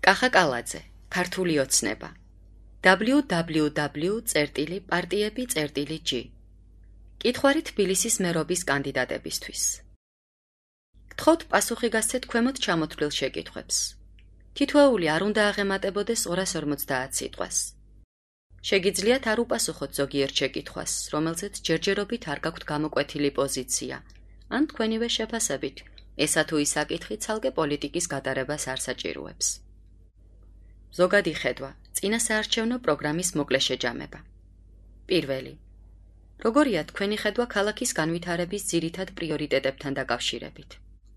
კახა კალაძე, ქართული ოცნება. www.partiები.g კითხვარი თბილისის მერობის კანდიდატებისთვის. გთხოვთ პასუხი გასცეთ ქვემოთ ჩამოთვლილ შეკითხვებს. თითოეული არ უნდა აღემატებოდეს 250 სიტყვას. შეგიძლიათ არ უპასუხოთ ზოგიერთ შეკითხვას, რომელზეც ჯერჯერობით არ გაქვთ გამოკვეთილი პოზიცია, ან თქვენივე შეფასებით, ესა თუ ის საკითხი ცალკე პოლიტიკის გატარებას არ საჭიროებს. ზოგადი ხედვა, წინა საარჩევნო პროგრამის მოკლე შეჯამება. პირველი. როგორია თქვენი ხედვა ქალაქის განვითარების ძირითად პრიორიტეტებთან დაკავშირებით?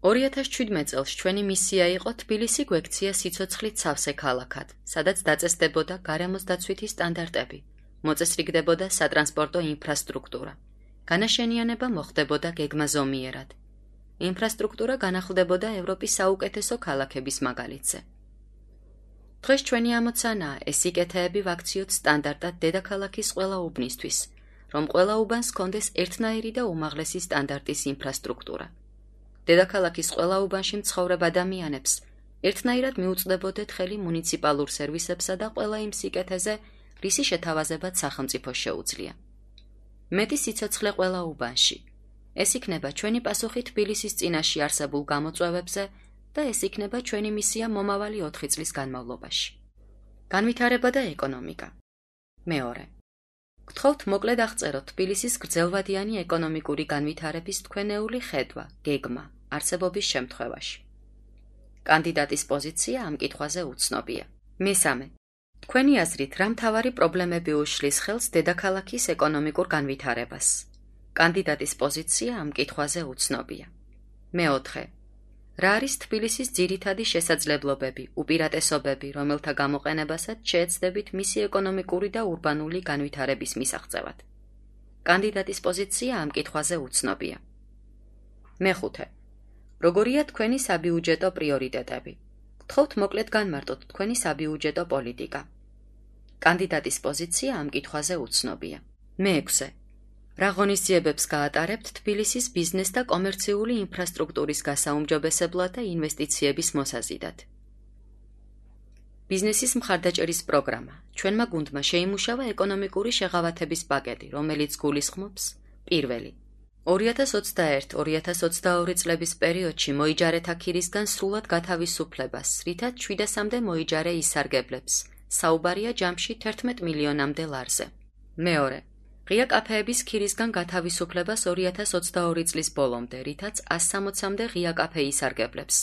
2017 წელს ჩვენი მისია იყო თბილისი გვექცია სიცოცხლით სავსე ქალაქად, სადაც დაწესდებოდა გარემოს დაცვითი სტანდარტები, მოწესრიგდებოდა სატრანსპორტო ინფრასტრუქტურა, განაშენიანება მოხდებოდა გეგმაზომიერად. ინფრასტრუქტურა განახლდებოდა ევროპის საუკეთესო ქალაქების მაგალითზე. დღეს ჩვენი ამოცანაა ეს სიკეთეები ვაქციოთ სტანდარტად დედაქალაქის ყველა უბნისთვის, რომ ყველა უბანს ჰქონდეს ერთნაირი და უმაღლესი სტანდარტის ინფრასტრუქტურა. დედაქალაქის ყველა უბანში მცხოვრებ ადამიანებს ერთნაირად მიუწვდებოდეთ ხელი მუნიციპალურ სერვისებსა და ყველა იმ სიკეთეზე, რისი შეთავაზებაც სახელმწიფოს შეუძლია. მეტი სიცოცხლე ყველა უბანში. ეს იქნება ჩვენი პასუხი თბილისის წინაშე არსებულ გამოწვევებზე და ეს იქნება ჩვენი მისია მომავალი 4 წლის განმავლობაში. განვითარება და ეკონომიკა. მეორე. გთხოვთ მოკლედ აღწეროთ თბილისის გრძელვადიანი ეკონომიკური განვითარების თქვენეული ხედვა, გეგმა, არსებობის შემთხვევაში. კანდიდატის პოზიცია ამ კითხვაზე უცნობია. მესამე. თქვენი აზრით რა მთავარი პრობლემები უშლის ხელს დედაქალაქის ეკონომიკურ განვითარებას? კანდიდატის პოზიცია ამ კითხვაზე უცნობია. მეოთხე. რა არის თბილისის ძირითადი შესაძლებლობები, უპირატესობები, რომელთა გამოყენებასაც შეეცდებით მისი ეკონომიკური და ურბანული განვითარების მისაღწევად? კანდიდატის პოზიცია ამ კითხვაზე უცნობია. მეხუთე. როგორია თქვენი საბიუჯეტო პრიორიტეტები? გთხოვთ მოკლედ განმარტოთ თქვენი საბიუჯეტო პოლიტიკა. კანდიდატის პოზიცია ამ კითხვაზე უცნობია. მეექვსე. რა ღონისძიებებს გაატარებთ თბილისის ბიზნეს და კომერციული ინფრასტრუქტურის გასაუმჯობესებლად და ინვესტიციების მოსაზიდად? ბიზნესის მხარდაჭერის პროგრამა. ჩვენმა გუნდმა შეიმუშავა ეკონომიკური შეღავათების პაკეტი, რომელიც გულისხმობს: პირველი. 2021-2022 წლების პერიოდში მოიჯარეთა ქირისგან სრულად გათავისუფლებას, რითაც 700-მდე მოიჯარე ისარგებლებს. საუბარია ჯამში 11 მილიონამდე ლარზე. მეორე. ღია კაფეების ქირისგან გათავისუფლებას 2022 წლის ბოლომდე, რითაც 160-მდე ღია კაფე ისარგებლებს.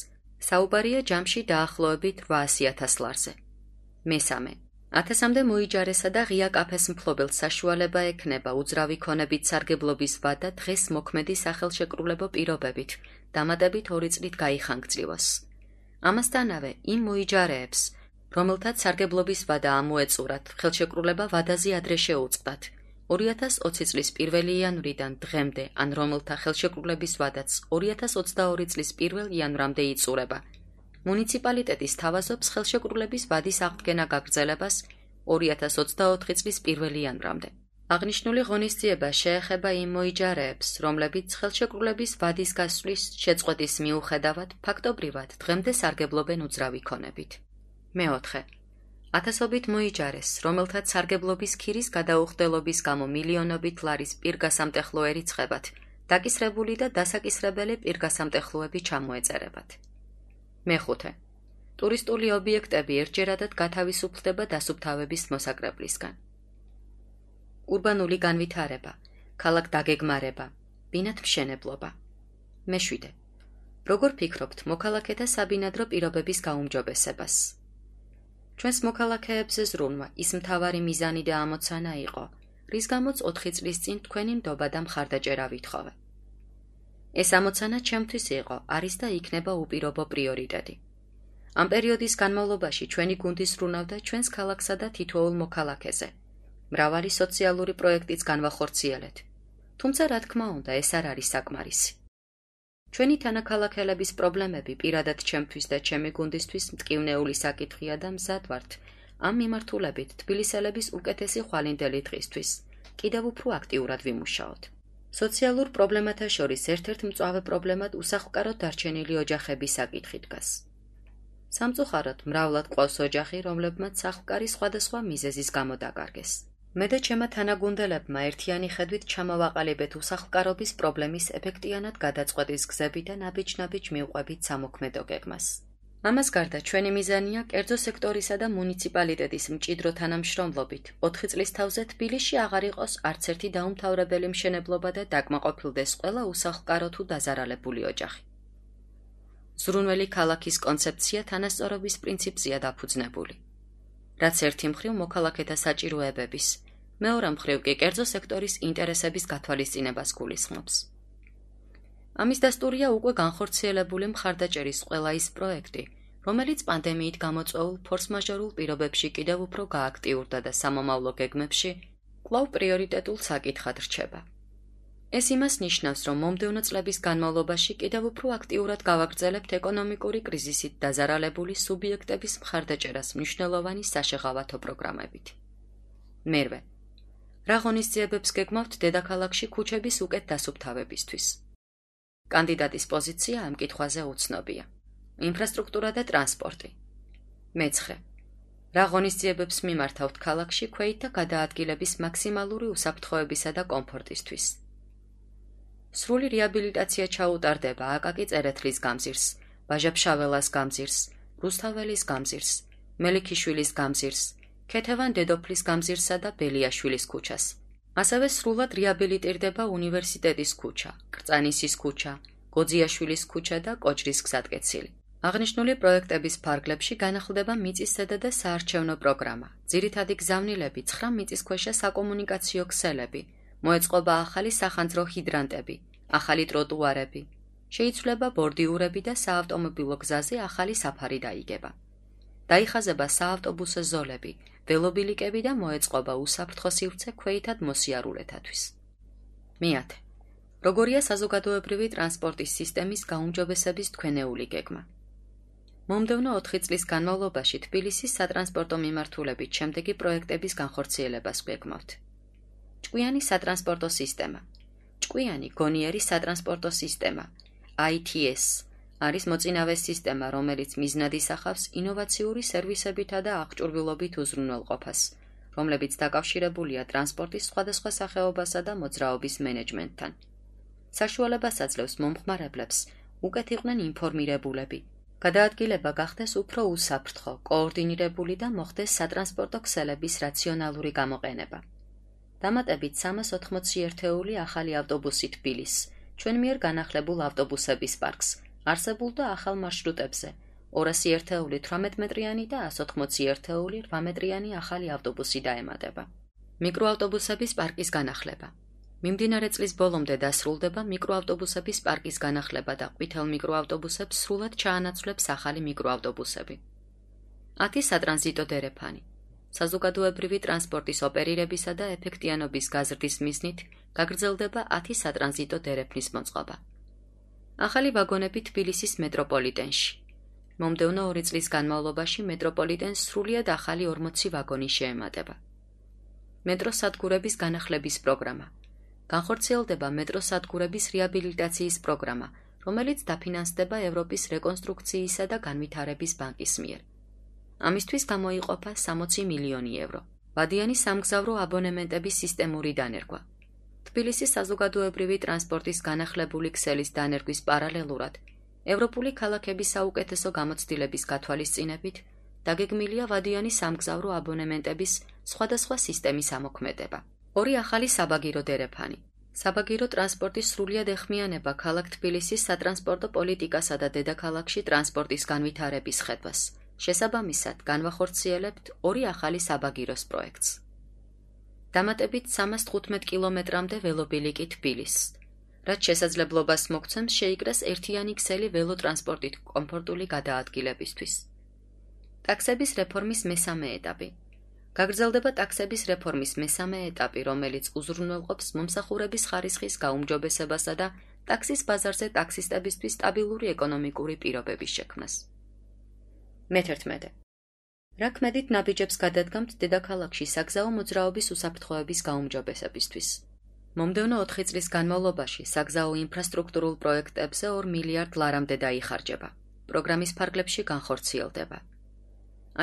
საუბარია ჯამში დაახლოებით 800.000 ლარზე. მესამე. 1000-მდე მოიჯარესა და ღია კაფეს მფლობელს საშუალება ექნება უძრავი ქონებით სარგებლობის ვადა დღეს მოქმედი სახელშეკრულებო პირობებით, დამატებით 2 წლით გაიხანგრძლივოს. ამასთანავე იმ მოიჯარეებს, რომელთაც სარგებლობის ვადა ამოეწურათ, ხელშეკრულება ვადაზე ადრე შეუწყდათ. 2020 წლის 1 იანვრიდან დღემდე, ან რომელთა ხელშეკრულების ვადაც 2022 წლის 1 იანვრამდე იწურება. მუნიციპალიტეტის თავაზობს ხელშეკრულების ვადის აღდგენა გაგრძელებას 2024 წლის 1 იანვრამდე. აღნიშნული ღონისძიება შეეხება იმ მოიჯარეებს, რომლებიც ხელშეკრულების ვადის გასვლის შეწყვეტის მიუხედავად ფაქტობრივად დღემდე სარგებლობენ უძრავი ქონებით. მეოთხე. ათასობით მოიჯარეს, რომელთაც სარგებლობის ქირის გადაუხდელობის გამო მილიონობით ლარის პირგასამტეხლო ერიცხებათ, დაკისრებული და დასაკისრებელი პირგასამტეხლოები ჩამოეწერებათ. მეხუთე. ტურისტული ობიექტები ერთჯერადად გათავისუფლდება დასუფთავების მოსაკრებლისგან. ურბანული განვითარება, ქალაქ დაგეგმარება, ბინათმშენებლობა. მეშვიდე. როგორ ფიქრობთ მოქალაქეთა საბინადრო პირობების გაუმჯობესებას? ჩვენს მოქალაქეებზე ზრუნვა ის მთავარი მიზანი და ამოცანა იყო, რის გამოც 4 წლის წინ თქვენი ნდობა და მხარდაჭერა ვითხოვე. ეს ამოცანა ჩემთვის იყო, არის და იქნება უპირობო პრიორიტეტი. ამ პერიოდის განმავლობაში ჩვენი გუნდი ზრუნავდა ჩვენს ქალაქსა და თითოეულ მოქალაქეზე. მრავალი სოციალური პროექტიც განვახორციელეთ. თუმცა რა თქმა უნდა, ეს არ არის საკმარისი. ჩვენი თანაქალაქელების პრობლემები პირადად ჩემთვის და ჩემი გუნდისთვის მტკივნეული საკითხია და მზად ვართ ამ მიმართულებით თბილისელების უკეთესი ხვალინდელი დღისთვის კიდევ უფრო აქტიურად ვიმუშაოთ. სოციალურ პრობლემათა შორის ერთ-ერთ მწვავე პრობლემად უსახლკაროდ დარჩენილი ოჯახების საკითხი დგას. სამწუხაროდ მრავლად ყავს ოჯახი, რომლებმაც სახლკარი სხვადასხვა მიზეზის გამო დაკარგეს. მე და ჩემმა თანაგუნდელებმა ერთიანი ხედვით ჩამოვაყალიბეთ უსახლკარობის პრობლემის ეფექტიანად გადაწყვეტის გზები და ნაბიჯ-ნაბიჯ მივყვებით სამოქმედო გეგმას. ამას გარდა ჩვენი მიზანია კერძო სექტორისა და მუნიციპალიტეტის მჭიდრო თანამშრომლობით 4 წლის თავზე თბილისში აღარ იყოს არც ერთი დაუმთავრებელი მშენებლობა და დაკმაყოფილდეს ყველა უსახლკარო თუ დაზარალებული ოჯახი. ზრუნველი ქალაქის კონცეფცია თანასწორობის პრინციპზეა დაფუძნებული, რაც ერთი მხრივ მოქალაქეთა საჭიროებების, მეორე მხრივ კი კერძო სექტორის ინტერესების გათვალისწინებას გულისხმობს. ამის დასტურია უკვე განხორციელებული მხარდაჭერის ყველა ის პროექტი, რომელიც პანდემიით გამოწვეულ ფორს-მაჟორულ პირობებში კიდევ უფრო გააქტიურდა და სამომავლო გეგმებში კვლავ პრიორიტეტულ საკითხად რჩება. ეს იმას ნიშნავს, რომ მომდევნო წლების განმავლობაში კიდევ უფრო აქტიურად გავაგრძელებთ ეკონომიკური კრიზისით დაზარალებული სუბიექტების მხარდაჭერას მნიშვნელოვანი საშეღავათო პროგრამებით. მერვე, რა ღონისძიებებს გეგმავთ დედაქალაქში ქუჩების უკეთ დასუფთავებისთვის? კანდიდატის პოზიცია ამ კითხვაზე უცნობია. ინფრასტრუქტურა და ტრანსპორტი. მეცხრე, რა ღონისძიებებს მიმართავთ ქალაქში ქვეითთა გადაადგილების მაქსიმალური უსაფრთხოებისა და კომფორტისთვის? სრული რეაბილიტაცია ჩაუტარდება აკაკი წერეთლის გამზირს, ბაჟა-ფშაველას გამზირს, რუსთაველის გამზირს, მელიქიშვილის გამზირს, ქეთევან დედოფლის გამზირსა და ბელიაშვილის ქუჩას. ასევე სრულად რეაბილიტირდება უნივერსიტეტის ქუჩა, კრწანისის ქუჩა, გოძიაშვილის ქუჩა და კოჭრის გზატკეცილი. აღნიშნული პროექტების ფარგლებში განახლდება მიწისზედა და საარჩევნო პროგრამა, ძირითადი გზავნილები 9 მიწისქვეშა საკომუნიკაციო ქსელები, მოეწყობა ახალი სახანძრო ჰიდრანტები, ახალი ტროტუარები, შეიცვლება ბორდიურები და საავტომობილო გზაზე ახალი საფარი დაიგება. დაიხაზება საავტობუსო ზოლები, ველობილიკები და მოეწყობა უსაფრთხო სივრცე ქვეითად მოსიარულეთათვის. მეათე, როგორია საზოგადოებრივი ტრანსპორტის სისტემის გაუმჯობესების თქვენეული გეგმა? მომდევნო 4 წლის განმავლობაში თბილისის სატრანსპორტო მიმართულებით შემდეგი პროექტების განხორციელებას გვეგმავთ. ჭკვიანი სატრანსპორტო სისტემა. ჭკვიანი გონიერი სატრანსპორტო სისტემა, ITS, არის მოწინავე სისტემა, რომელიც მიზნად ისახავს ინოვაციური სერვისებითა და აღჭურვილობით უზრუნველყოფას, რომლებიც დაკავშირებულია ტრანსპორტის სხვადასხვა სახეობასა და მოძრაობის მენეჯმენტთან. საშუალებას აძლევს მომხმარებლებს უკეთ იყვნენ ინფორმირებულები, გადაადგილება გახდეს უფრო უსაფრთხო, კოორდინირებული და მოხდეს სატრანსპორტო ქსელების რაციონალური გამოყენება. დამატებით 380 ერთეული ახალი ავტობუსი თბილის, ჩვენ მიერ განახლებულ ავტობუსების პარკს, არსებულ და ახალ მარშრუტებზე, 200 ერთეული 18 მეტრიანი და 180 ერთეული 8 მეტრიანი ახალი ავტობუსი დაემატება. მიკროავტობუსების პარკის განახლება. მიმდინარე წლის ბოლომდე დასრულდება მიკროავტობუსების პარკის განახლება და ყვითელ მიკროავტობუსებს სრულად ჩაანაცვლებს ახალი მიკროავტობუსები. 10 სატრანზიტო დერეფანი. საზოგადოებრივი ტრანსპორტის ოპერირებისა და ეფექტიანობის გაზრდის მიზნით გაგრძელდება 10 სატრანზიტო დერეფნის მოწყობა. ახალი ვაგონები თბილისის მეტროპოლიტენში. მომდევნო 2 წლის განმავლობაში მეტროპოლიტენს სრულიად ახალი 40 ვაგონი შეემატება. მეტროსადგურების განახლების პროგრამა. განხორციელდება მეტროსადგურების რეაბილიტაციის პროგრამა, რომელიც დაფინანსდება ევროპის რეკონსტრუქციისა და განვითარების ბანკის მიერ. ამისთვის გამოიყოფა 60 მილიონი ევრო. ვადიანი სამგზავრო აბონემენტების სისტემური დანერგვა. თბილისის საზოგადოებრივი ტრანსპორტის განახლებული ქსელის დანერგვის პარალელურად, ევროპული ქალაქების საუკეთესო გამოცდილების გათვალისწინებით დაგეგმილია ვადიანი სამგზავრო აბონემენტების სხვადასხვა სისტემის ამოქმედება. 2 ახალი საბაგირო დერეფანი. საბაგირო ტრანსპორტის სრულიად ეხმიანება ქალაქ თბილისის სატრანსპორტო პოლიტიკასა და დედაქალაქში ტრანსპორტის განვითარების ხედვას. შესაბამისად, განვახორციელებთ 2 ახალი საბაგიროს პროექტს. დამატებით 315 კილომეტრამდე ველობილიკი თბილისს, რაც შესაძლებლობას მოგცემს შეიკრას ერთიანი ქსელი ველოტრანსპორტით კომფორტული გადაადგილებისთვის. ტაქსების რეფორმის მესამე ეტაპი. გაგრძელდება ტაქსების რეფორმის მესამე ეტაპი, რომელიც უზრუნველყოფს მომსახურების ხარისხის გაუმჯობესებასა და ტაქსის ბაზარზე ტაქსისტებისთვის სტაბილური ეკონომიკური პირობების შექმნას. მე-11. რა ქმედით ნაბიჯებს გადადგამთ დედაქალაქში საგზაო მოძრაობის უსაფრთხოების გაუმჯობესებისთვის? მომდევნო 4 წლის განმავლობაში საგზაო ინფრასტრუქტურულ პროექტებზე 2 მილიარდ ლარამდე დაიხარჯება. პროგრამის ფარგლებში განხორციელდება.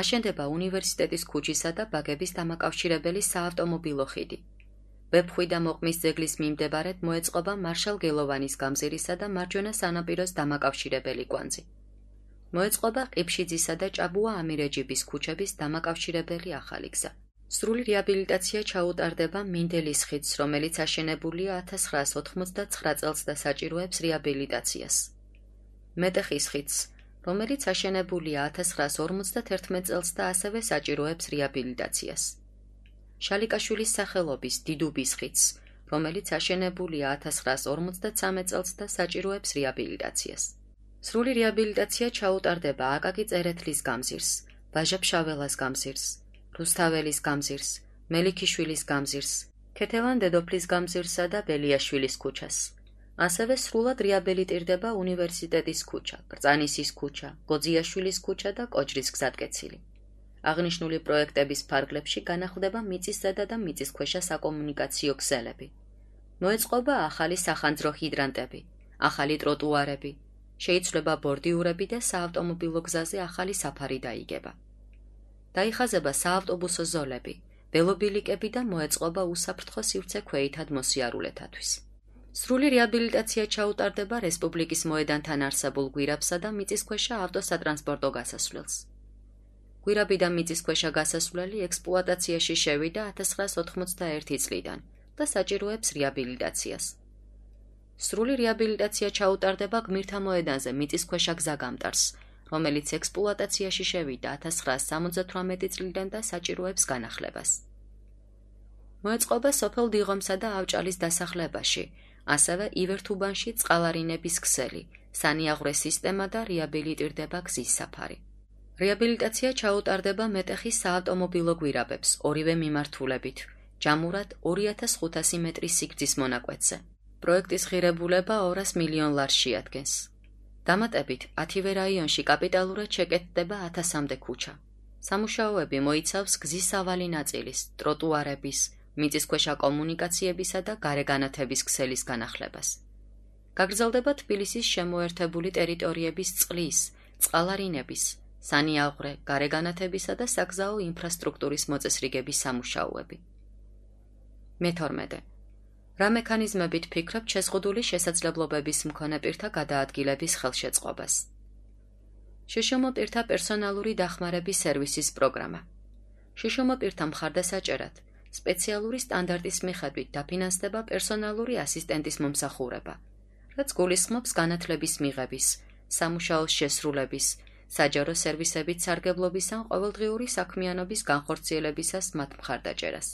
აშენდება უნივერსიტეტის ქუჩისა და ბაგების დამაკავშირებელი საავტომობილო ხიდი. ვეფხვი და მოყმის ძეგლის მიმდებარედ მოეწყობა მარშალ გელოვანის გამზირისა და მარჯვენა სანაპიროს დამაკავშირებელი კვანძი. მოეწყობა ყიფშიძისა და ჭაბუა ამირეჯიბის ქუჩების დამაკავშირებელი ახალი გზა. სრული რეაბილიტაცია ჩაუტარდება მინდელის ხიდს, რომელიც აშენებულია 1989 წელს და საჭიროებს რეაბილიტაციას. მეტეხის ხიდს, რომელიც აშენებულია 1951 წელს და ასევე საჭიროებს რეაბილიტაციას. შალიკაშვილის სახელობის დიდუბის ხიდს, რომელიც აშენებულია 1953 წელს და საჭიროებს რეაბილიტაციას. სრული რეაბილიტაცია ჩაუტარდება აკაკი წერეთლის გამზირს, ვაჟა-ფშაველას გამზირს, რუსთაველის გამზირს, მელიქიშვილის გამზირს, ქეთევან დედოფლის გამზირსა და ბელიაშვილის ქუჩას. ასევე სრულად რეაბილიტირდება უნივერსიტეტის ქუჩა, კრწანისის ქუჩა, გოძიაშვილის ქუჩა და კოჯრის გზატკეცილი. აღნიშნული პროექტების ფარგლებში განახლდება მიწისზედა და მიწისქვეშა საკომუნიკაციო ქსელები. მოეწყობა ახალი სახანძრო ჰიდრანტები, ახალი ტროტუარები, შეიცვლება ბორდიურები და საავტომობილო გზაზე ახალი საფარი დაიგება. დაიხაზება საავტობუსო ზოლები, ველობილიკები და მოეწყობა უსაფრთხო სივრცე ქვეითად მოსიარულეთათვის. სრული რეაბილიტაცია ჩაუტარდება რესპუბლიკის მოედანთან არსებულ გვირაბსა და მიწისქვეშა ავტოსატრანსპორტო გასასვლელს. გვირაბი და მიწისქვეშა გასასვლელი ექსპლუატაციაში შევიდა 1991 წლიდან და საჭიროებს რეაბილიტაციას. სრული რეაბილიტაცია ჩაუტარდება გმირთა მოედანზე მიწისქვეშა გზაგამტარს, რომელიც ექსპლუატაციაში შევიდა 1978 წლიდან და საჭიროებს განახლებას. მოეწყობა სოფელ დიღომსა და ავჭალის დასახლებაში, ასევე ივერთუბანში წყალარინების ქსელი, სანიაღვრე სისტემა და რეაბილიტირდება გზის საფარი. რეაბილიტაცია ჩაუტარდება მეტეხის საავტომობილო გვირაბებს ორივე მიმართულებით, ჯამურად 2500 მეტრის სიგრძის მონაკვეთზე. პროექტის ღირებულება 200 მილიონ ლარს შეადგენს. დამატებით 10-ვე რაიონში კაპიტალურად შეკეთდება 1000-მდე ქუჩა. სამუშაოები მოიცავს გზის სავალი ნაწილის, ტროტუარების, მიწისქვეშა კომუნიკაციებისა და გარეგანათების ქსელის განახლებას. გაგრძელდება თბილისის შემოერთებული ტერიტორიების წყლის, წყალარინების, სანიაღვრე, გარეგანათებისა და საგზაო ინფრასტრუქტურის მოწესრიგების სამუშაოები. მე-12. რა მექანიზმებით ფიქრობთ შეზღუდული შესაძლებლობების მქონე პირთა გადაადგილების ხელშეწყობას? შშმ პირთა პერსონალური დახმარების სერვისის პროგრამა. შშმ პირთა მხარდასაჭერად სპეციალური სტანდარტის მიხედვით დაფინანსდება პერსონალური ასისტენტის მომსახურება, რაც გულისხმობს განათლების მიღების, სამუშაოს შესრულების, საჯარო სერვისებით სარგებლობის ან ყოველდღიური საქმიანობის განხორციელებისას მათ მხარდაჭერას.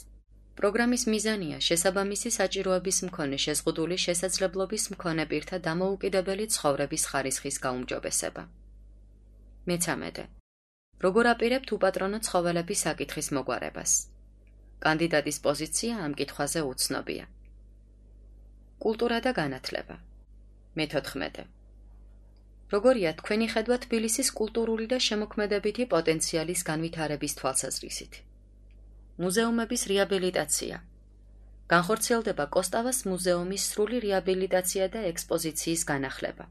პროგრამის მიზანია შესაბამისი საჭიროების მქონე შეზღუდული შესაძლებლობის მქონე პირთა დამოუკიდებელი ცხოვრების ხარისხის გაუმჯობესება. მე-13. როგორ აპირებთ უპატრონო ცხოველების საკითხის მოგვარებას? კანდიდატის პოზიცია ამ კითხვაზე უცნობია. კულტურა და განათლება. მე-14. როგორია თქვენი ხედვა თბილისის კულტურული და შემოქმედებითი პოტენციალის განვითარების თვალსაზრისით? მუზეუმების რეაბილიტაცია. განხორციელდება კოსტავას მუზეუმის სრული რეაბილიტაცია და ექსპოზიციის განახლება.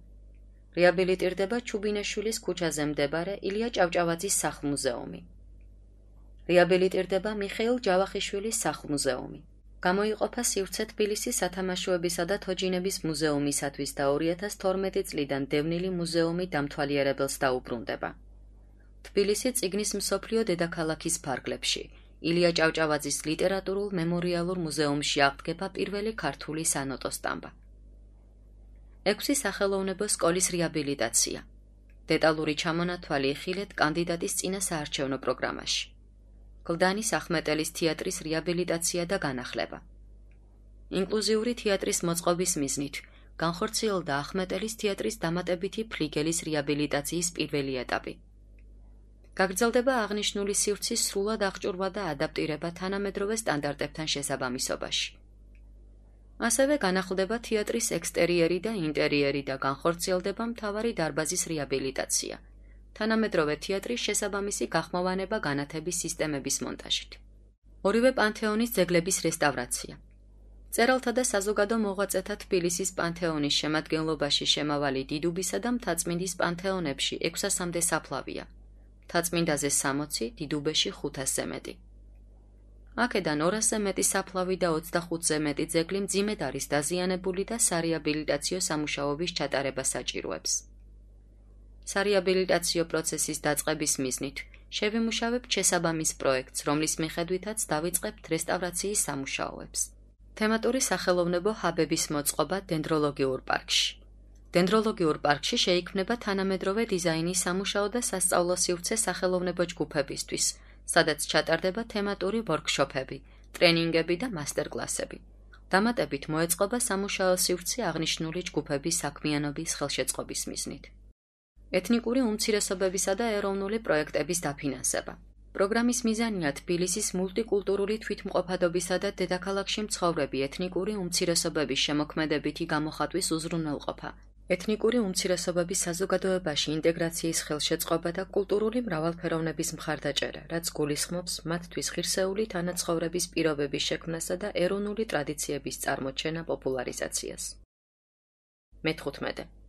რეაბილიტირდება ჩუბინაშვილის ქუჩაზე მდებარე ილია ჭავჭავაძის სახლ-მუზეუმი. რეაბილიტირდება მიხეილ ჯავახიშვილის სახლ-მუზეუმი. გამოიყოფა სივრცე თბილისის სათამაშოებისა და თოჯინების მუზეუმისათვის და 2012 წლიდან დევნილი მუზეუმი დამთვალიერებელს დაუბრუნდება. თბილისი წიგნის მსოფლიო დედაქალაქის ფარგლებში, ილია ჭავჭავაძის ლიტერატურულ მემორიალურ მუზეუმში აღდგება პირველი ქართული სანოტო სტამბა. 6 სახელოვნებო სკოლის რეაბილიტაცია. დეტალური ჩამონათვალი იხილეთ კანდიდატის წინა საარჩევნო პროგრამაში. კლდანის ახმეტელის თეატრის რეაბილიტაცია და განახლება. ინკლუზიური თეატრის მოწყობის მიზნით განხორციელდა ახმეტელის თეატრის დამატებითი ფლიგელის რეაბილიტაციის პირველი ეტაპი. გაგრძელდება აღნიშნული სივრცის სრულად აღჭურვა და ადაპტირება თანამედროვე სტანდარტებთან შესაბამისობაში. ასევე განახლდება თეატრის ექსტერიერი და ინტერიერი და განხორციელდება მთავარი დარბაზის რეაბილიტაცია, თანამედროვე თეატრის შესაბამისი გახმოვანება განათების სისტემების მონტაჟით. ორივე პანთეონის ძეგლების რესტავრაცია. წერალთა და საზოგადო მოღვაწეთა თბილისის პანთეონის შემადგენლობაში შემავალი დიდუბისა და მთაწმინდის პანთეონებში 600-მდე საფლავია. მთაწმინდაზე 60, დიდუბეში 500-ზე მეტი. აქედან 200-ზე მეტი საფლავი და 25-ზე მეტი ძეგლი მძიმედ არის დაზიანებული და სარეაბილიტაციო სამუშაოების ჩატარება საჭიროებს. სარეაბილიტაციო პროცესის დაწყების მიზნით შევიმუშავებთ შესაბამის პროექტს, რომლის მიხედვითაც დავიწყებთ რესტავრაციის სამუშაოებს. თემატური სახელოვნებო ჰაბების მოწყობა დენდროლოგიურ პარკში. დენდროლოგიურ პარკში შეიქმნება თანამედროვე დიზაინის სამუშაო და სასწავლო სივრცე სახელოვნებო ჯგუფებისთვის, სადაც ჩატარდება თემატური ვორქშოპები, ტრენინგები და მასტერკლასები. დამატებით მოეწყობა სამუშაო სივრცე აღნიშნული ჯგუფების საქმიანობის ხელშეწყობის მიზნით. ეთნიკური უმცირესობებისა და ეროვნული პროექტების დაფინანსება. პროგრამის მიზანია თბილისის მულტიკულტურული თვითმყოფადობისა და დედაქალაქში მცხოვრები ეთნიკური უმცირესობების შემოქმედებითი გამოხატვის უზრუნველყოფა, ეთნიკური უმცირესობების საზოგადოებაში ინტეგრაციის ხელშეწყობა და კულტურული მრავალფეროვნების მხარდაჭერა, რაც გულისხმობს მათთვის ღირსეული თანაცხოვრების პირობების შექმნასა და ეროვნული ტრადიციების წარმოჩენა პოპულარიზაციას. მე-15.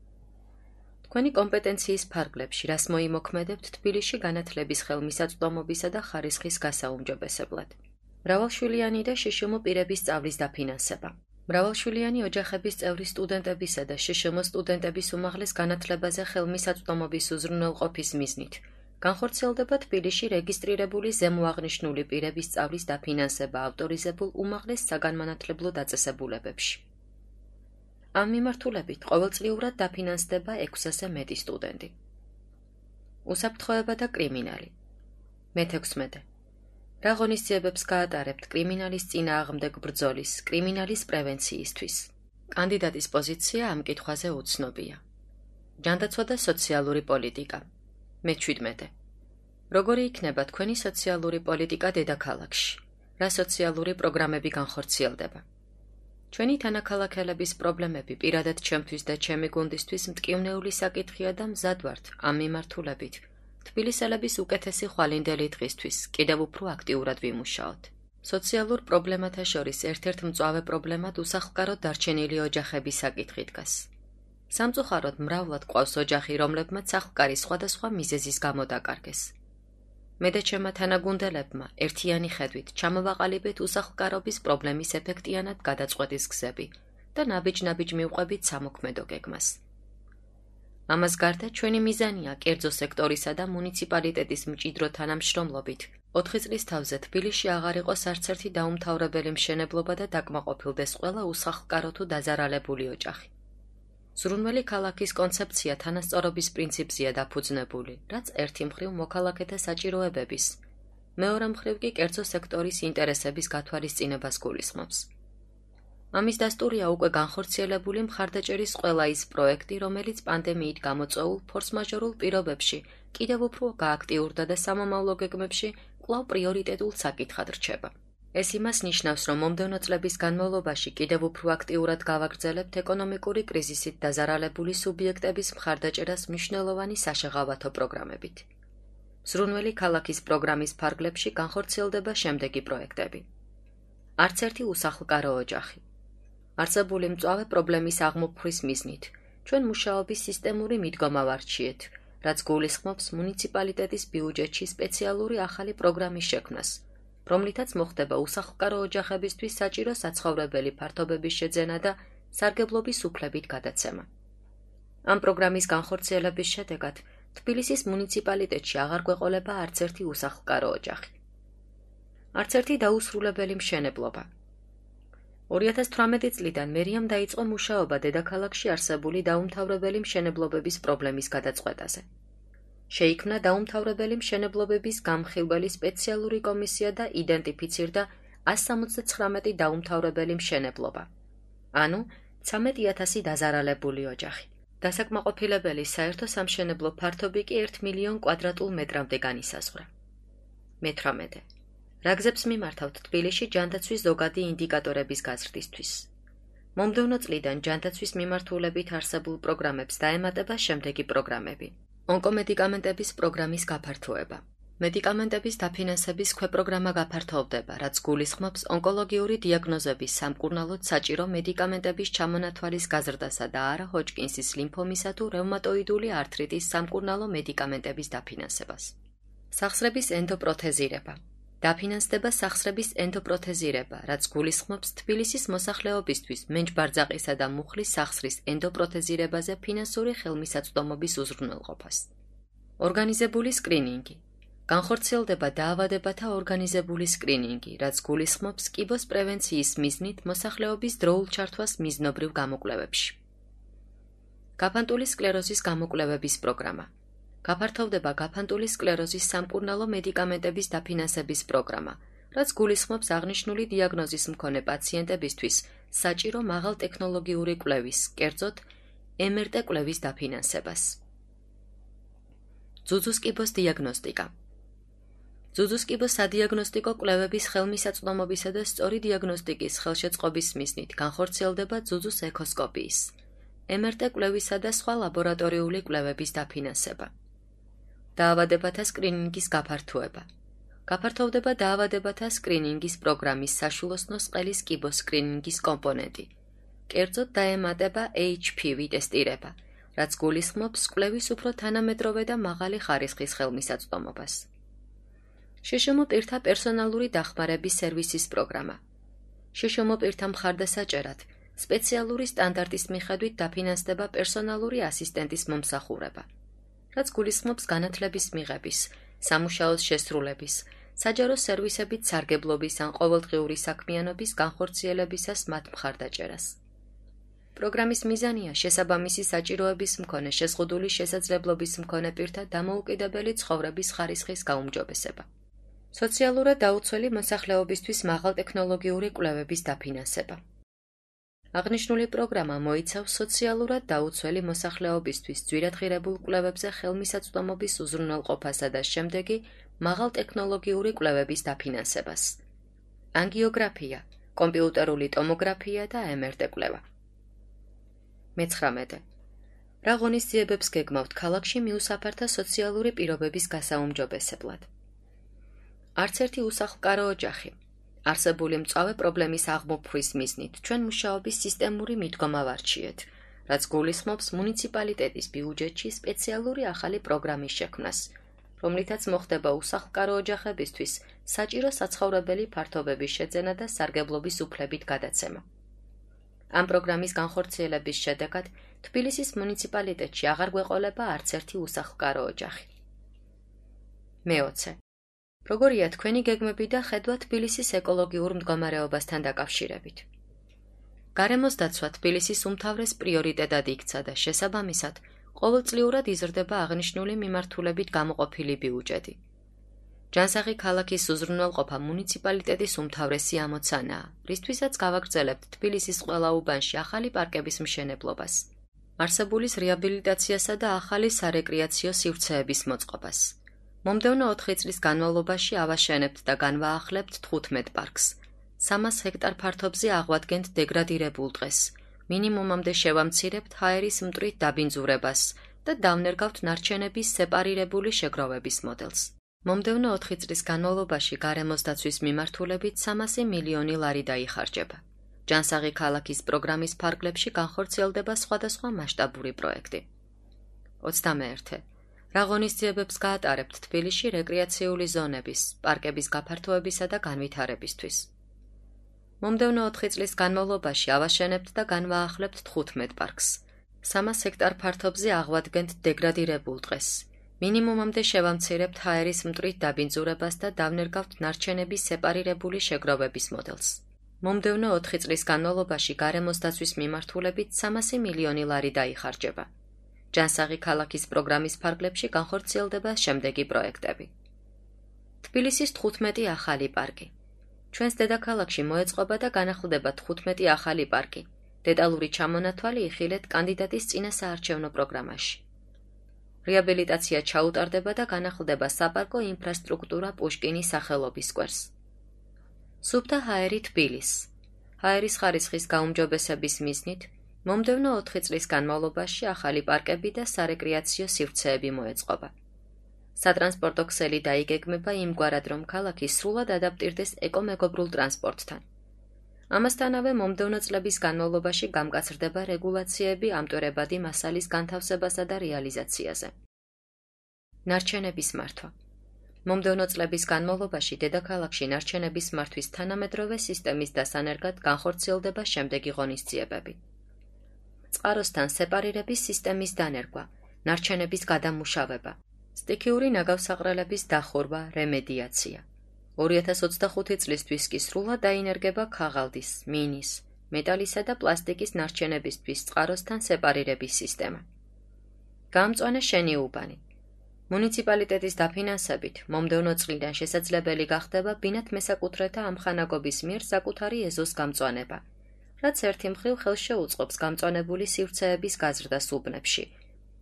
თქვენი კომპეტენციის ფარგლებში, რას მოიმოქმედებთ თბილისში განათლების ხელმისაწვდომობისა და ხარისხის გასაუმჯობესებლად. მრავალშვილიანი და შშმ პირების სწავლის დაფინანსება. მრავალშვილიანი ოჯახების წევრი სტუდენტებისა და შშმ სტუდენტების უმაღლეს განათლებაზე ხელმისაწვდომობის უზრუნველყოფის მიზნით განხორციელდება თბილისში რეგისტრირებული ზემოაღნიშნული პირების სწავლის დაფინანსება ავტორიზებულ უმაღლეს საგანმანათლებლო დაწესებულებებში. ამ მიმართულებით ყოველწლიურად დაფინანსდება 600-ზე მეტი სტუდენტი. უსაფრთხოება და კრიმინალი. მე-16. რა ღონისძიებებს გაატარებთ კრიმინალის წინააღმდეგ ბრძოლის, კრიმინალის პრევენციისთვის? კანდიდატის პოზიცია ამ კითხვაზე უცნობია. ჯანდაცვა და სოციალური პოლიტიკა. მე-17. როგორი იქნება თქვენი სოციალური პოლიტიკა დედაქალაქში? რა სოციალური პროგრამები განხორციელდება? ჩვენი თანაქალაქელების პრობლემები პირადად ჩემთვის და ჩემი გუნდისთვის მტკივნეული საკითხია და მზად ვართ ამ მიმართულებით თბილისელების უკეთესი ხვალინდელი დღისთვის კიდევ უფრო აქტიურად ვიმუშაოთ. სოციალურ პრობლემათა შორის ერთ-ერთ მწვავე პრობლემად უსახლკაროდ დარჩენილი ოჯახების საკითხი დგას. სამწუხაროდ მრავლად ყავს ოჯახი, რომლებმაც სახლკარი სხვადასხვა მიზეზის გამო დაკარგეს. მე და ჩემმა თანაგუნდელებმა ერთიანი ხედვით ჩამოვაყალიბეთ უსახლკარობის პრობლემის ეფექტიანად გადაწყვეტის გზები და ნაბიჯ-ნაბიჯ მივყვებით სამოქმედო გეგმას. ამას გარდა ჩვენი მიზანია კერძო სექტორისა და მუნიციპალიტეტის მჭიდრო თანამშრომლობით 4 წლის თავზე თბილისში აღარ იყოს არც ერთი დაუმთავრებელი მშენებლობა და დაკმაყოფილდეს ყველა უსახლკარო თუ დაზარალებული ოჯახი. ზრუნველი ქალაქის კონცეფცია თანასწორობის პრინციპზეა დაფუძნებული, რაც ერთი მხრივ მოქალაქეთა საჭიროებების, მეორე მხრივ კი კერძო სექტორის ინტერესების გათვალისწინებას გულისხმობს. ამის დასტურია უკვე განხორციელებული მხარდაჭერის ყველა ის პროექტი, რომელიც პანდემიით გამოწვეულ ფორსმაჟორულ პირობებში კიდევ უფრო გააქტიურდა და სამომავლო გეგმებში კვლავ პრიორიტეტულ საკითხად რჩება. ეს იმას ნიშნავს, რომ მომდევნო წლების განმავლობაში კიდევ უფრო აქტიურად გავაგრძელებთ ეკონომიკური კრიზისით დაზარალებული სუბიექტების მხარდაჭერას მნიშვნელოვანი საშეღავათო პროგრამებით. ზრუნველი ქალაქის პროგრამის ფარგლებში განხორციელდება შემდეგი პროექტები. არც ერთი უსახლკარო ოჯახი. არსებული მწვავე პრობლემის აღმოფხვის მიზნით ჩვენ მუშაობის სისტემური მიდგომა ვარჩიეთ, რაც გულისხმობს მუნიციპალიტეტის ბიუჯეტში სპეციალური ახალი პროგრამის შექმნას, რომლითაც მოხდება უსახლკარო ოჯახებისთვის საჭირო საცხოვრებელი ფართობების შეძენა და სარგებლობის უფლებით გადაცემა. ამ პროგრამის განხორციელების შედეგად თბილისის მუნიციპალიტეტში აღარ გვეყოლება არც ერთი უსახლკარო ოჯახი. არც ერთი დაუსრულებელი მშენებლობა. 2018 წლიდან მერიამ დაიწყო მუშაობა დედაქალაქში არსებული დაუმთავრებელი მშენებლობების პრობლემის გადაწყვეტაზე. შეიქმნა დაუმთავრებელი მშენებლობების გამხილველი სპეციალური კომისია და იდენტიფიცირდა 179 დაუმთავრებელი მშენებლობა, ანუ 13,000 დაზარალებული ოჯახი. დასაკმაყოფილებელი საერთო სამშენებლო ფართობი კი 1 მილიონ კვადრატულ მეტრამდე განისაზღვრა. მე-18. რა გზებს მიმართავთ თბილისში ჯანდაცვის ზოგადი ინდიკატორების გაზრდისთვის? მომდევნო წლიდან ჯანდაცვის მიმართულებით არსებულ პროგრამებს დაემატება შემდეგი პროგრამები. ონკომედიკამენტების პროგრამის გაფართოება, მედიკამენტების დაფინანსების ქვეპროგრამა გაფართოვდება, რაც გულისხმობს ონკოლოგიური დიაგნოზების სამკურნალოდ საჭირო მედიკამენტების ჩამონათვალის გაზრდასა და არა ჰოჯკინსის ლიმფომისა თუ რევმატოიდული ართრიტის სამკურნალო მედიკამენტების დაფინანსებას. სახსრების ენდოპროთეზირება. დაფინანსდება სახსრების ენდოპროთეზირება, რაც გულისხმობს თბილისის მოსახლეობისთვის მენჯბარძაყისა და მუხლის სახსრის ენდოპროთეზირებაზე ფინანსური ხელმისაწვდომობის უზრუნველყოფას. ორგანიზებული სკრინინგი. განხორციელდება დაავადებათა ორგანიზებული სკრინინგი, რაც გულისხმობს კიბოს პრევენციის მიზნით მოსახლეობის დროულ ჩართვას მიზნობრივ გამოკვლევებში. გაფანტული სკლეროზის გამოკვლევების პროგრამა. გაფართოვდება გაფანტული სკლეროზის სამკურნალო მედიკამენტების დაფინანსების პროგრამა, რაც გულისხმობს აღნიშნული დიაგნოზის მქონე პაციენტებისთვის საჭირო მაღალტექნოლოგიური კვლევის, კერძოდ MRT კვლევის დაფინანსებას. ძუძუს კიბოს დიაგნოსტიკა. ძუძუს კიბოს სადიაგნოსტიკო კვლევების ხელმისაწვდომობისა და სწორი დიაგნოსტიკის ხელშეწყობის მიზნით განხორციელდება ძუძუს ეკოსკოპიის, MRT კვლევისა და სხვა ლაბორატორიული კვლევების დაფინანსება. დაავადებათა სკრინინგის გაფართოება. გაფართოვდება დაავადებათა სკრინინგის პროგრამის საშვილოსნოს ყელის კიბოს სკრინინგის კომპონენტი. კერძოდ დაემატება HPV ტესტირება, რაც გულისხმობს კვლევის უფრო თანამედროვე და მაღალი ხარისხის ხელმისაწვდომობას. შშმ პირთა პერსონალური დახმარების სერვისის პროგრამა. შშმ პირთა მხარდასაჭერად სპეციალური სტანდარტის მიხედვით დაფინანსდება პერსონალური ასისტენტის მომსახურება, რაც გულისხმობს განათლების მიღების, სამუშაოს შესრულების, საჯარო სერვისებით სარგებლობის ან ყოველდღიური საქმიანობის განხორციელებისას მათ მხარდაჭერას. პროგრამის მიზანია შესაბამისი საჭიროების მქონე შეზღუდული შესაძლებლობის მქონე პირთა დამოუკიდებელი ცხოვრების ხარისხის გაუმჯობესება. სოციალურად დაუცველი მოსახლეობისთვის მაღალტექნოლოგიური კვლევების დაფინანსება. აღნიშნული პროგრამა მოიცავს სოციალურად დაუცველი მოსახლეობისთვის ძვირადღირებულ კვლევებზე ხელმისაწვდომობის უზრუნველყოფასა და შემდეგი მაღალტექნოლოგიური კვლევების დაფინანსებას. ანგიოგრაფია, კომპიუტერული ტომოგრაფია და MRT კვლევა. 19. რა ღონისძიებებს გეგმავთ ქალაქში მიუსაფართა სოციალური პირობების გასაუმჯობესებლად? არც ერთი უსახლკარო ოჯახი. არსებული მწვავე პრობლემის აღმოფხვის მიზნით ჩვენ მუშაობის სისტემური მიდგომა ვარჩიეთ, რაც გულისხმობს მუნიციპალიტეტის ბიუჯეტში სპეციალური ახალი პროგრამის შექმნას, რომლითაც მოხდება უსახლკარო ოჯახებისთვის საჭირო საცხოვრებელი ფართობების შეძენა და სარგებლობის უფლებით გადაცემა. ამ პროგრამის განხორციელების შედეგად თბილისის მუნიციპალიტეტში აღარ გვეყოლება არც ერთი უსახლკარო ოჯახი. 20. როგორია თქვენი გეგმები და ხედვა თბილისის ეკოლოგიურ მდგომარეობასთან დაკავშირებით? გარემოს დაცვა თბილისის უმთავრეს პრიორიტეტად იქცა და შესაბამისად ყოველწლიურად იზრდება აღნიშნული მიმართულებით გამოყოფილი ბიუჯეტი. ჯანსაღი ქალაქის უზრუნველყოფა მუნიციპალიტეტის უმთავრესი ამოცანაა, რისთვისაც გავაგრძელებთ თბილისის ყველა უბანში ახალი პარკების მშენებლობას, არსებულის რეაბილიტაციასა და ახალი სარეკრეაციო სივრცეების მოწყობას. მომდევნო 4 წლის განმავლობაში ავაშენებთ და განვაახლებთ 15 პარკს. 300 ჰექტარ ფართობზე აღვადგენთ დეგრადირებულ ტყეს, მინიმუმამდე შევამცირებთ ჰაერის მტვრით დაბინძურებას და დავნერგავთ ნარჩენების სეპარირებული შეგროვების მოდელს. მომდევნო 4 წლის განმავლობაში გარემოს დაცვის მიმართულებით 300 მილიონი ლარი დაიხარჯება. ჯანსაღი ქალაქის პროგრამის ფარგლებში განხორციელდება სხვადასხვა მასშტაბური პროექტი. 21. რა ღონისძიებებს გაატარებთ თბილისში რეკრეაციული ზონების, პარკების გაფართოებისა და განვითარებისთვის? მომდევნო 4 წლის განმავლობაში ავაშენებთ და განვაახლებთ 15 პარკს. 300 ჰექტარ ფართობზე აღვადგენთ დეგრადირებულ ტყეს. მინიმუმამდე შევამცირებთ ჰაერის მტვრით დაბინძურებას და დავნერგავთ ნარჩენების სეპარირებული შეგროვების მოდელს. მომდევნო 4 წლის განმავლობაში გარემოს დაცვის მიმართულებით 300 მილიონი ლარი დაიხარჯება. ჯანსაღი ქალაქის პროგრამის ფარგლებში განხორციელდება შემდეგი პროექტები. თბილისის 15 ახალი პარკი. ჩვენს დედაქალაქში მოეწყობა და განახლდება 15 ახალი პარკი. დეტალური ჩამონათვალი იხილეთ კანდიდატის წინა საარჩევნო პროგრამაში. რეაბილიტაცია ჩაუტარდება და განახლდება საპარკო ინფრასტრუქტურა პუშკინის სახელობის სკვერს. სუფთა ჰაერი თბილის. ჰაერის ხარისხის გაუმჯობესების მიზნით მომდევნო 4 წლის განმავლობაში ახალი პარკები და სარეკრეაციო სივრცეები მოეწყობა. სატრანსპორტო ქსელი დაიგეგმება იმგვარად, რომ ქალაქი სრულად ადაპტირდეს ეკომეგობრულ ტრანსპორტთან. ამასთანავე მომდევნო წლების განმავლობაში გამკაცრდება რეგულაციები ამტვერებადი მასალის განთავსებასა და რეალიზაციაზე. ნარჩენების მართვა. მომდევნო წლების განმავლობაში დედაქალაქში ნარჩენების მართვის თანამედროვე სისტემის დასანერგად განხორციელდება შემდეგი ღონისძიებები. წყაროსთან სეპარირების სისტემის დანერგვა, ნარჩენების გადამუშავება, სტიქიური ნაგავსაყრელების დახურვა, რემედიაცია. 2025 წლისთვის კი სრულად დაინერგება ქაღალდის, მინის, მეტალისა და პლასტიკის ნარჩენებისთვის წყაროსთან სეპარირების სისტემა. გაამწვანა შენი უბანი. მუნიციპალიტეტის დაფინანსებით მომდევნო წლიდან შესაძლებელი გახდება ბინათ მესაკუთრეთა ამხანაგობის მიერ საკუთარი ეზოს გამწვანება, რაც ერთი მხრივ ხელს შეუწყობს გამწვანებული სივრცეების გაზრდას უბნებში,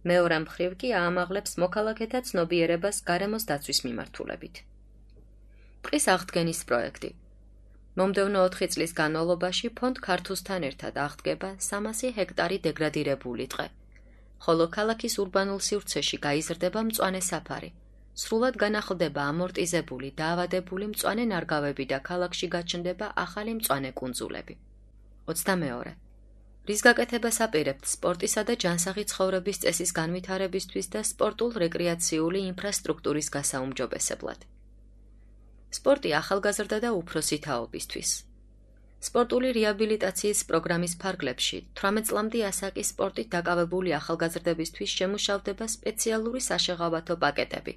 მეორე მხრივ კი აამაღლებს მოქალაქეთა ცნობიერებას გარემოს დაცვის მიმართულებით. ტყის აღდგენის პროექტი. მომდევნო 4 წლის განმავლობაში ფონდ ქართულთან ერთად აღდგება 300 ჰექტარი დეგრადირებული ტყე, ხოლო ქალაქის ურბანულ სივრცეში გაიზრდება მწვანე საფარი, სრულად განახლდება ამორტიზებული, დაავადებული მწვანე ნარგავები და ქალაქში გაჩნდება ახალი მწვანე კუნძულები. 22. რის გაკეთებას აპირებთ სპორტისა და ჯანსაღი ცხოვრების წესის განვითარებისთვის და სპორტულ-რეკრეაციული ინფრასტრუქტურის გასაუმჯობესებლად. სპორტი ახალგაზრდა და უფროსი თაობისთვის. სპორტული რეაბილიტაციის პროგრამის ფარგლებში 18 წლამდე ასაკის სპორტით დაკავებული ახალგაზრდებისთვის შემუშავდება სპეციალური საშეღავათო პაკეტები,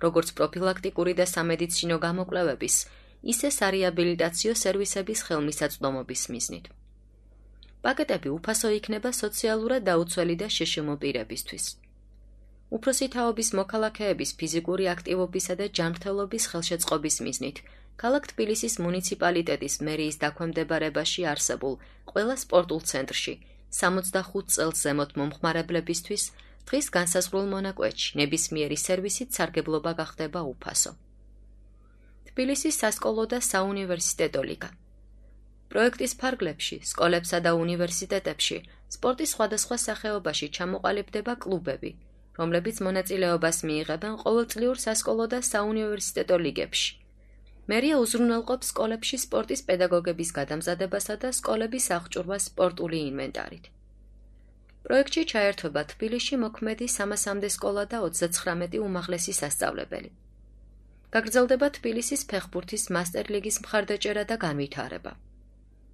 როგორც პროფილაქტიკური და სამედიცინო გამოკვლევების, ისე სარეაბილიტაციო სერვისების ხელმისაწვდომობის მიზნით. პაკეტები უფასო იქნება სოციალურად დაუცველი და შეშმო პირებისთვის. უფროსი თაობის მოქალაქეების ფიზიკური აქტივობისა და ჯანმრთელობის ხელშეწყობის მიზნით ქალაქ თბილისის მუნიციპალიტეტის მერიის დაქვემდებარებაში არსებულ ყველა სპორტულ ცენტრში 65 წელს ზემოთ მომხმარებლებისთვის დღის განსაზღვრულ მონაკვეთში ნებისმიერი სერვისით სარგებლობა გახდება უფასო. თბილისის სასკოლო და საუნივერსიტეტო ლიგა. პროექტის ფარგლებში, სკოლებსა და უნივერსიტეტებში სპორტის სხვადასხვა სახეობაში ჩამოყალიბდება კლუბები, რომლებიც მონაწილეობას მიიღებენ ყოველწლიურ სასკოლო და საუნივერსიტეტო ლიგებში. მერია უზრუნველყოფს სკოლებში სპორტის პედაგოგების გადამზადებასა და სკოლების აღჭურვას სპორტული ინვენტარით. პროექტში ჩაერთვება თბილისში მოქმედი 300-მდე სკოლა და 39 უმაღლესი სასწავლებელი. გაგრძელდება თბილისის ფეხბურთის მასტერ ლიგის მხარდაჭერა და განვითარება.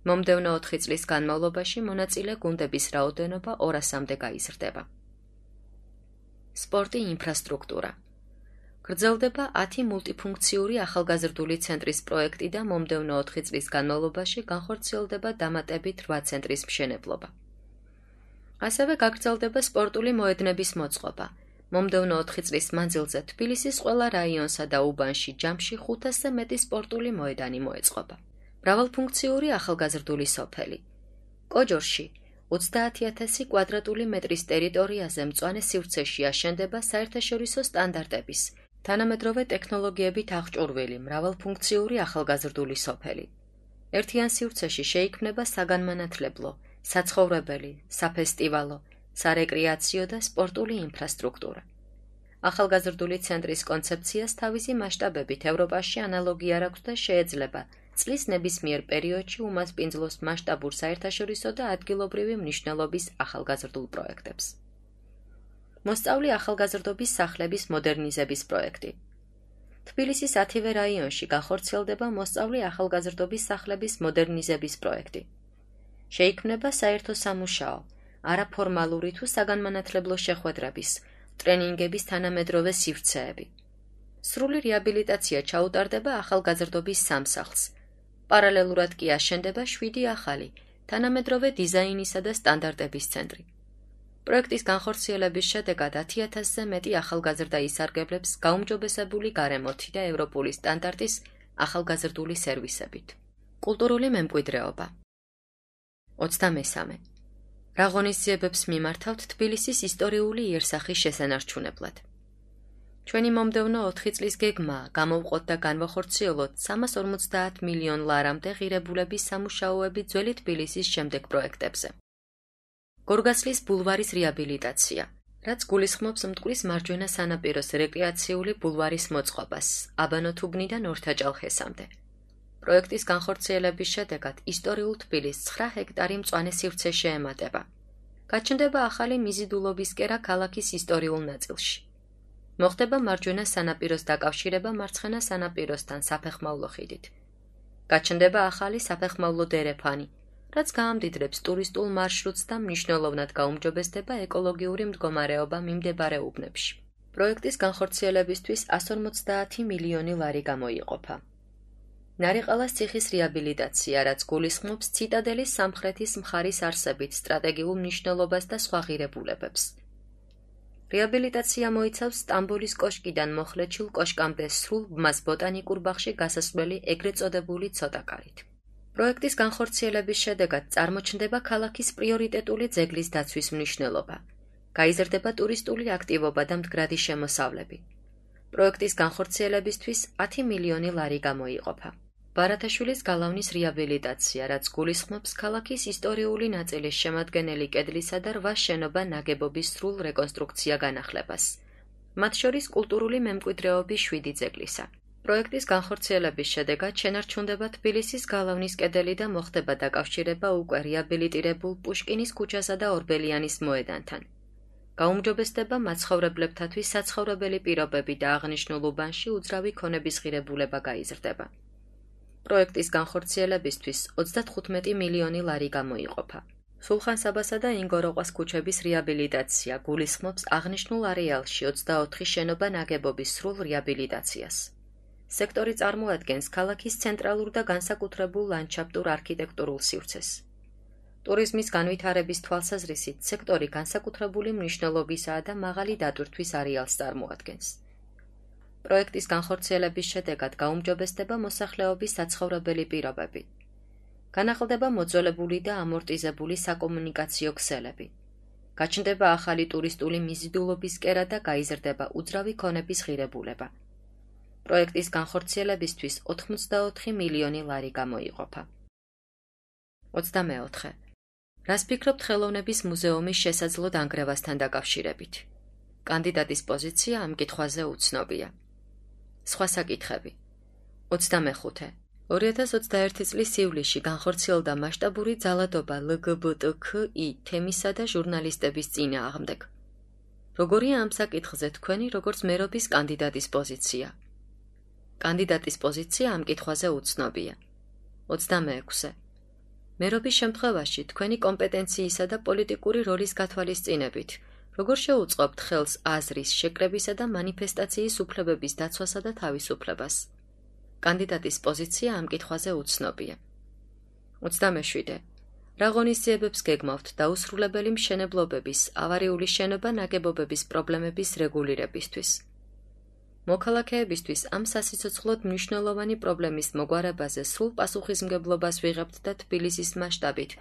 მომდევნო 4 წლის განმავლობაში მონაწილე გუნდების რაოდენობა 200-მდე გაიზრდება. სპორტი ინფრასტრუქტურა. გრძელდება 10 მულტიფუნქციური ახალგაზრდული ცენტრის პროექტი და მომდევნო 4 წლის განმავლობაში განხორციელდება დამატებით 8 ცენტრის მშენებლობა. ასევე გაგრძელდება სპორტული მოედნების მოწყობა. მომდევნო 4 წლის მანძილზე თბილისის ყველა რაიონსა და უბანში ჯამში 500-ზე მეტი სპორტული მოედანი მოეწყობა. მრავალფუნქციური ახალგაზრდული სოფელი. კოჯორში 30,000 კვადრატული მეტრის ტერიტორიაზე მწვანე სივრცეში აშენდება საერთაშორისო სტანდარტების, თანამედროვე ტექნოლოგიებით აღჭურვილი მრავალფუნქციური ახალგაზრდული სოფელი. ერთიან სივრცეში შეიქმნება საგანმანათლებლო, საცხოვრებელი, საფესტივალო, სარეკრეაციო და სპორტული ინფრასტრუქტურა. ახალგაზრდული ცენტრის კონცეფციას თავისი მასშტაბებით ევროპაში ანალოგი არ აქვს და შეეძლება წლის ნებისმიერ პერიოდში უმასპინძლოს მასშტაბურ საერთაშორისო და ადგილობრივი მნიშვნელობის ახალგაზრდულ პროექტებს. მოსწავლი ახალგაზრდობის სახლების მოდერნიზების პროექტი. თბილისის 10-ვე რაიონში განხორციელდება მოსწავლი ახალგაზრდობის სახლების მოდერნიზების პროექტი. შეიქმნება საერთო სამუშაო, არაფორმალური თუ საგანმანათლებლო შეხვედრების, ტრენინგების თანამედროვე სივრცეები. სრული რეაბილიტაცია ჩაუტარდება ახალგაზრდობის სამსახლს. პარალელურად კი აშენდება 7 ახალი, თანამედროვე დიზაინისა და სტანდარტების ცენტრი. პროექტის განხორციელების შედეგად 10,000-ზე მეტი ახალგაზრდა ისარგებლებს გაუმჯობესებული გარემოთი და ევროპული სტანდარტის ახალგაზრდული სერვისებით. კულტურული მემკვიდრეობა. 23. რა ღონისძიებებს მიმართავთ თბილისის ისტორიული იერსახის შესანარჩუნებლად. ჩვენი მომდევნო 4 წლის გეგმაა გამოვყოთ და განვახორციელოთ 350 მილიონ ლარამდე ღირებულების სამუშაოები ძველი თბილისის შემდეგ პროექტებზე. გორგასლის ბულვარის რეაბილიტაცია, რაც გულისხმობს მტკვრის მარჯვენა სანაპიროს რეკრეაციული ბულვარის მოწყობას, აბანოთუბნიდან ორთაჭალხესამდე. პროექტის განხორციელების შედეგად ისტორიულ თბილისს 9 ჰექტარი მწვანე სივრცე შეემატება. გაჩნდება ახალი მიზიდულობის კერა ქალაქის ისტორიულ ნაწილში. მოხდება მარჯვენა სანაპიროს დაკავშირება მარცხენა სანაპიროსთან საფეხმავლო ხიდით. გაჩნდება ახალი საფეხმავლო დერეფანი, რაც გაამდიდრებს ტურისტულ მარშრუტს და მნიშვნელოვნად გაუმჯობესდება ეკოლოგიური მდგომარეობა მიმდებარე უბნებში. პროექტის განხორციელებისთვის 150 მილიონი ლარი გამოიყოფა. ნარიყალას ციხის რეაბილიტაცია, რაც გულისხმობს ციტადელის სამხრეთის მხარის არსებით სტრატეგიულ მნიშვნელობას და სხვა ღირებულებებს. რეაბილიტაცია მოიცავს სტამბოლის კოშკიდან მოხლეჩილ კოშკამდე სრულ ბმას ბოტანიკურ ბაღში გასასვლელი ეგრეთ წოდებული ცოტაკარით. პროექტის განხორციელების შედეგად წარმოჩნდება ქალაქის პრიორიტეტული ძეგლის დაცვის მნიშვნელობა. გაიზრდება ტურისტული აქტივობა და მდგრადი შემოსავლები. პროექტის განხორციელებისთვის 10 მილიონი ლარი გამოიყოფა. ბარათაშვილის გალავნის რეაბილიტაცია, რაც გულისხმობს ქალაქის ისტორიული ნაწილის შემადგენელი კედლისა და 8 შენობა ნაგებობის სრულ რეკონსტრუქცია განახლებას. მათ შორის კულტურული მემკვიდრეობის 7 ძეგლისა. პროექტის განხორციელების შედეგად შენარჩუნდება თბილისის გალავნის კედელი და მოხდება დაკავშირება უკვე რეაბილიტირებულ პუშკინის ქუჩასა და ორბელიანის მოედანთან. გაუმჯობესდება მაცხოვრებლებთათვის საცხოვრებელი პირობები და აღნიშნულ უბანში უძრავი ქონების ღირებულება გაიზრდება. პროექტის განხორციელებისთვის 35 მილიონი ლარი გამოიყოფა. სულხან-საბასა და ინგოროყვას ქუჩების რეაბილიტაცია გულისხმობს აღნიშნულ არეალში 24 შენობა ნაგებობის სრულ რეაბილიტაციას. სექტორი წარმოადგენს ქალაქის ცენტრალურ და განსაკუთრებულ ლანდშაფტურ არქიტექტურულ სივრცეს. ტურიზმის განვითარების თვალსაზრისით სექტორი განსაკუთრებული მნიშვნელობისაა და მაღალი დატვირთვის არეალს წარმოადგენს. პროექტის განხორციელების შედეგად გაუმჯობესდება მოსახლეობის საცხოვრებელი პირობები. განახლდება მოძველებული და ამორტიზებული საკომუნიკაციო ქსელები. გაჩნდება ახალი ტურისტული მიზიდულობის კერა და გაიზრდება უძრავი ქონების ღირებულება. პროექტის განხორციელებისთვის 84 მილიონი ლარი გამოიყოფა. 24. რას ფიქრობთ ხელოვნების მუზეუმის შესაძლო დანგრევასთან დაკავშირებით? კანდიდატის პოზიცია ამ კითხვაზე უცნობია. სხვა საკითხები. 25. 2021 წლის ივლისში განხორციელდა მასშტაბური ძალადობა LGBTQI თემისა და ჟურნალისტების წინააღმდეგ. როგორია ამ საკითხზე თქვენი როგორც მერობის კანდიდატის პოზიცია? კანდიდატის პოზიცია ამ კითხვაზე უცნობია. 26. მერობის შემთხვევაში თქვენი კომპეტენციისა და პოლიტიკური როლის გათვალისწინებით, როგორ შეუწყობთ ხელს აზრის, შეკრებისა და მანიფესტაციის უფლებების დაცვასა და თავისუფლებას? კანდიდატის პოზიცია ამ კითხვაზე უცნობია. 27. რა ღონისძიებებს გეგმავთ დაუსრულებელი მშენებლობების, ავარიული შენობა ნაგებობების პრობლემების რეგულირებისთვის? მოქალაქეებისთვის ამ სასიცოცხლოდ მნიშვნელოვანი პრობლემის მოგვარებაზე სრულ პასუხისმგებლობას ვიღებთ და თბილისის მასშტაბით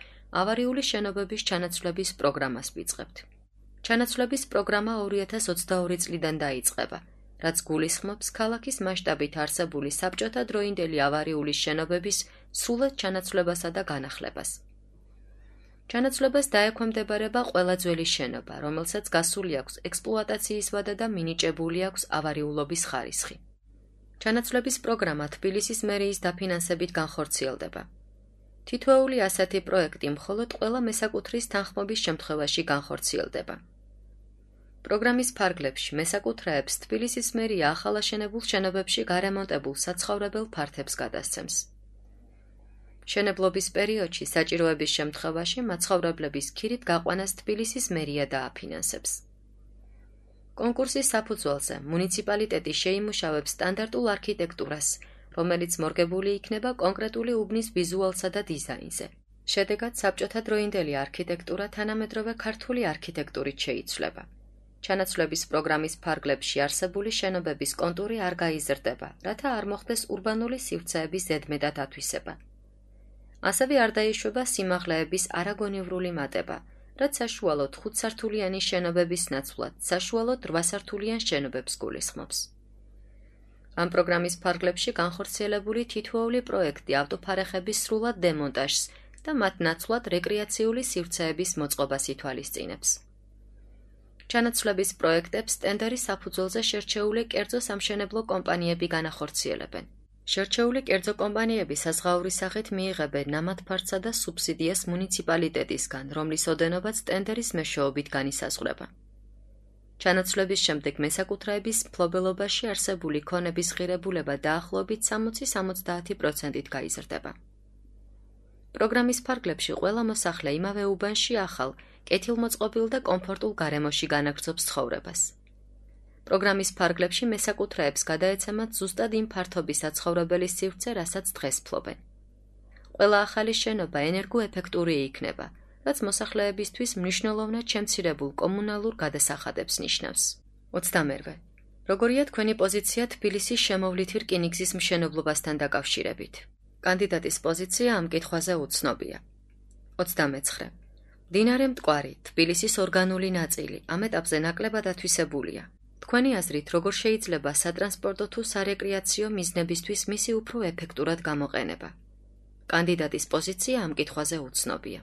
ავარიული შენობების ჩანაცვლების პროგრამას ვიწყებთ. ჩანაცვლების პროგრამა 2022 წლიდან დაიწყება, რაც გულისხმობს ქალაქის მასშტაბით არსებული საბჭოთა დროინდელი ავარიული შენობების სრულად ჩანაცვლებასა და განახლებას. ჩანაცვლებას დაექვემდებარება ყველა ძველი შენობა, რომელსაც გასული აქვს ექსპლუატაციის ვადა და მინიჭებული აქვს ავარიულობის ხარისხი. ჩანაცვლების პროგრამა თბილისის მერიის დაფინანსებით განხორციელდება. თითოეული ასეთი პროექტი მხოლოდ ყველა მესაკუთრის თანხმობის შემთხვევაში განხორციელდება. პროგრამის ფარგლებში მესაკუთრეებს თბილისის მერია ახალაშენებულ შენობებში გარემონტებულ საცხოვრებელ ფართებს გადასცემს. მშენებლობის პერიოდში საჭიროების შემთხვევაში მაცხოვრებლების ქირით გაყვანას თბილისის მერია დააფინანსებს. კონკურსის საფუძველზე მუნიციპალიტეტი შეიმუშავებს სტანდარტულ არქიტექტურას, რომელიც მორგებული იქნება კონკრეტული უბნის ვიზუალსა და დიზაინზე. შედეგად საბჭოთა დროინდელი არქიტექტურა თანამედროვე ქართული არქიტექტურით შეიცვლება. ჩანაცვლების პროგრამის ფარგლებში არსებული შენობების კონტური არ გაიზრდება, რათა არ მოხდეს ურბანული სივრცეების ზედმეტად ათვისება. ასევე არ დაიშვება სიმაღლეების არაგონივრული მატება, რაც საშუალოდ 5 სართულიანი შენობების ნაცვლად საშუალოდ 8 სართულიან შენობებს გულისხმობს. ამ პროგრამის ფარგლებში განხორციელებული თითოეული პროექტი ავტოფარეხების სრულად დემონტაჟს და მათ ნაცვლად რეკრეაციული სივრცეების მოწყობას ითვალისწინებს. ჩანაცვლების პროექტებს ტენდერის საფუძველზე შერჩეული კერძო სამშენებლო კომპანიები განახორციელებენ. შერჩეული კერძო კომპანიები საზღაურის სახით მიიღებენ ნამათფარცსა და სუბსიდიას მუნიციპალიტეტისგან, რომლის ოდენობაც ტენდერის მეშვეობით განისაზღვრება. ჩანაცვლების შემდეგ მესაკუთრეების მფლობელობაში არსებული ქონების ღირებულება დაახლოებით 60-70%-ით გაიზრდება. პროგრამის ფარგლებში ყველა მოსახლე იმავე უბანში ახალ, კეთილმოწყობილ და კომფორტულ გარემოში განაგრძობს ცხოვრებას. პროგრამის ფარგლებში მესაკუთრეებს გადაეცემათ ზუსტად იმ ფართობის საცხოვრებელი სივრცე, რასაც დღეს ფლობენ. ყველა ახალი შენობა ენერგოეფექტური იქნება, რაც მოსახლეებისთვის მნიშვნელოვნად შემცირებულ კომუნალურ გადასახადებს ნიშნავს. 22. როგორია თქვენი პოზიცია თბილისის შემოვლითი რკინიგზის მშენებლობასთან დაკავშირებით? კანდიდატის პოზიცია ამ კითხვაზე უცნობია. 29. მდინარე მტკვარი, თბილისის ორგანული ნაწილი, ამ ეტაპზე ნაკლებად ათვისებულია. თქვენი აზრით, როგორ შეიძლება სატრანსპორტო თუ სარეკრეაციო მიზნებისთვის მისი უფრო ეფექტურად გამოყენება? კანდიდატის პოზიცია ამ კითხვაზე უცნობია.